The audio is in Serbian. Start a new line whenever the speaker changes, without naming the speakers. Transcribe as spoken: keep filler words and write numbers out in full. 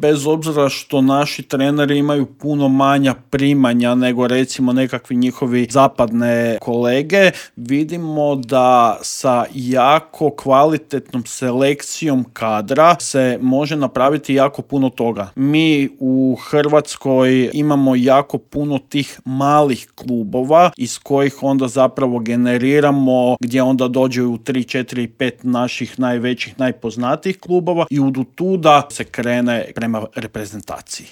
bez obzira što naši treneri imaju puno manja primanja nego recimo nekakvi njihovi zapadne kolege, vidimo da sa jako kvalitetnom selekcijom kadra se može napraviti jako puno toga. Mi u Hrvatskoj imamo jako puno tih malih klubova iz kojih onda zapravo generiramo, gdje onda dođe u tri, četiri, pet naših najvećih, najpoznatijih klubova i od tuda se krene prema reprezentaciji.